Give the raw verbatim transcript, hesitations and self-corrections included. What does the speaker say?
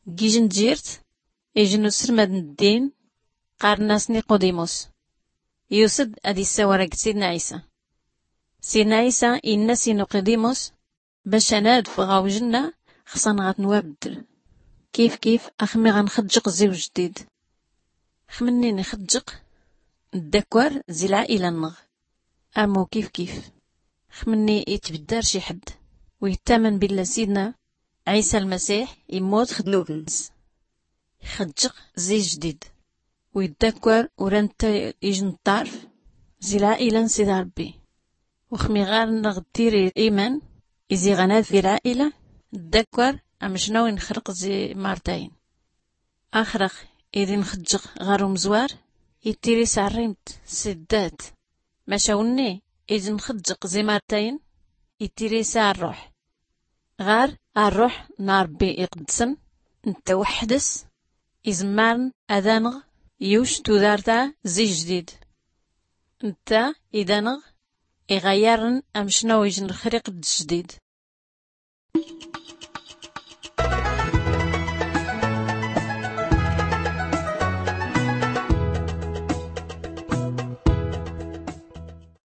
Gijnjirt ijnusrmad n ddin qarnas niqudimus, yusd ad issawar ag sidna isa. Sidna isa innas i nuqidimus, bac anad fɣawjnna xsan ɣatnwabddl. Kif kif axmi ɣanxjq zi wjdid. Xmnni nxjq ddakwar zi lɛila nnɣ. Amu kif kif xmnni itbddar ciḥdd wittaman billa sidna isa lmasiḥ immut xdnubns. Xjq zi jdid widdakwar urantta ijnṭarf zi lɛila nsid arbbi. Uxmi ɣarnɣ ttiri iman izi ɣanad fi lɛila ddakwar amcnaw inxrq zi martayn. Axrx id inxjq ɣar umzwar ittiri sarrimt siddat. Mac awnni id inxjq zi martayn ittiri sa arruḥ. Ɣar arruḥ n arbbi iqddsen ntta wḥds izmmarn ad anɣ yuc tudarta zi jdid. Ntta id anɣ iɣayarn amcnaw ijnxriq d jdid.